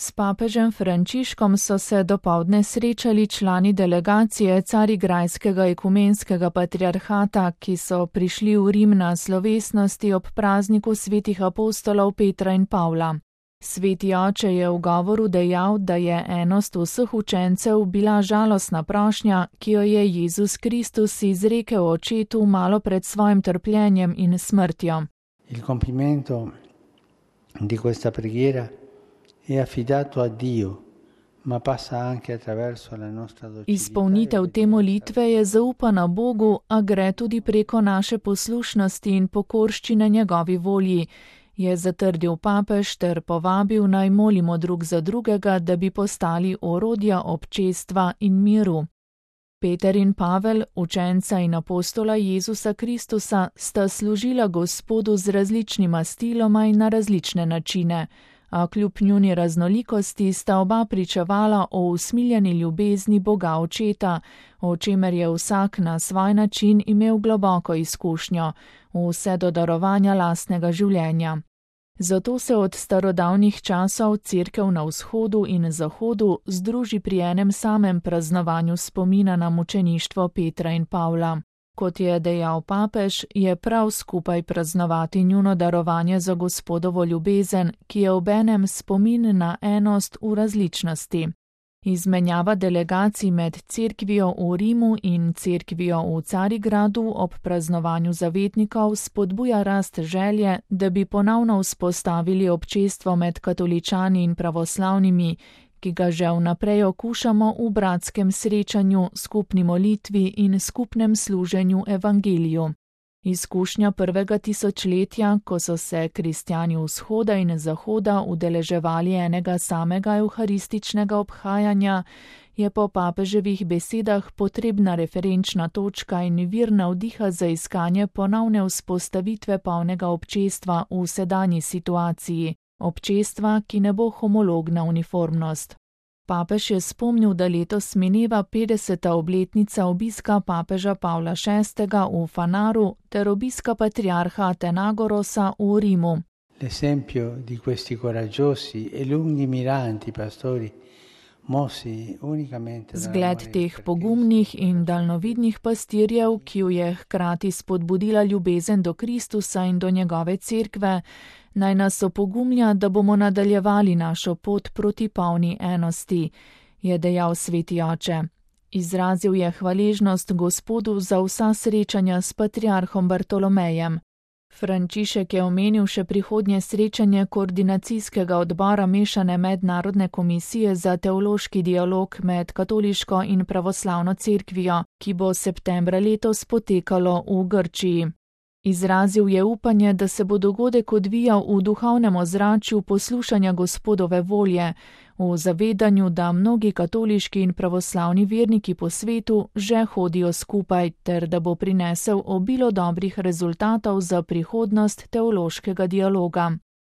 S papežem Frančiškom so se dopoldne srečali člani delegacije Carigrajskega ekumenskega patriarhata, ki so prišli v Rim na slovesnosti ob prazniku svetih apostolov Petra in Pavla. Sveti oče je v govoru dejal, da je enost vseh učencev bila žalostna prošnja, ki jo je Jezus Kristus izrekel očetu malo pred svojim trpljenjem in smrtjo. Il compimento di questa preghiera è affidato a Dio, ma passa anche attraverso la nostra docilità. Izpolnitev te molitve je zaupana Bogu, a gre tudi preko naše poslušnosti in pokorščine njegovi volji, je zatrdil papež ter povabil naj molimo drug za drugega, da bi postali orodja občestva in miru. Peter in Pavel, učenca in apostola Jezusa Kristusa, sta služila Gospodu z različnima stiloma in na različne načine, a kljub njuni raznolikosti sta oba pričevala o usmiljeni ljubezni Boga Očeta, o čemer je vsak na svoj način imel globoko izkušnjo, vse do darovanja lastnega življenja. Zato se od starodavnih časov Cerkev na vzhodu in zahodu združi pri enem samem praznovanju spomina na mučeništvo Petra in Pavla. Kot je dejal papež, je prav skupaj praznovati njuno darovanje za Gospodovo ljubezen, ki je obenem spomin na enost v različnosti. Izmenjava delegacij med cerkvijo v Rimu in cerkvijo v Carigradu ob praznovanju zavetnikov spodbuja rast želje, da bi ponovno vzpostavili občestvo med katoličani in pravoslavnimi, ki ga že vnaprej okušamo v bratskem srečanju, skupni molitvi in skupnem služenju evangeliju. Izkušnja prvega tisočletja, ko so se kristjani vzhoda in zahoda udeleževali enega samega evharističnega obhajanja, je po papeževih besedah potrebna referenčna točka in vir navdiha za iskanje ponovne vzpostavitve polnega občestva v sedanji situaciji, občestva, ki ne bo homologna uniformnost. Papež je spomnil, da letos mineva 50. obletnica obiska papeža Pavla VI. V Fanaru ter obiska patriarha Atenagorosa v Rimu. L'esempio di questi coraggiosi e lungimiranti pastori mossi unicamente Zgled teh pogumnih in daljnovidnih pastirjev, ki ju je hkrati spodbudila ljubezen do Kristusa in do njegove cerkve, naj nas opogumlja, da bomo nadaljevali našo pot proti polni enosti, je dejal sveti oče. Izrazil je hvaležnost Gospodu za vsa srečanja s patriarhom Bartolomejem. Frančišek je omenil še prihodnje srečanje koordinacijskega odbora mešane mednarodne komisije za teološki dialog med katoliško in pravoslavno cerkvijo, ki bo septembra letos potekalo v Grčiji. Izrazil je upanje, da se bo dogodek odvijal v duhovnem ozračju poslušanja Gospodove volje, v zavedanju, da mnogi katoliški in pravoslavni verniki po svetu že hodijo skupaj, ter da bo prinesel obilo dobrih rezultatov za prihodnost teološkega dialoga.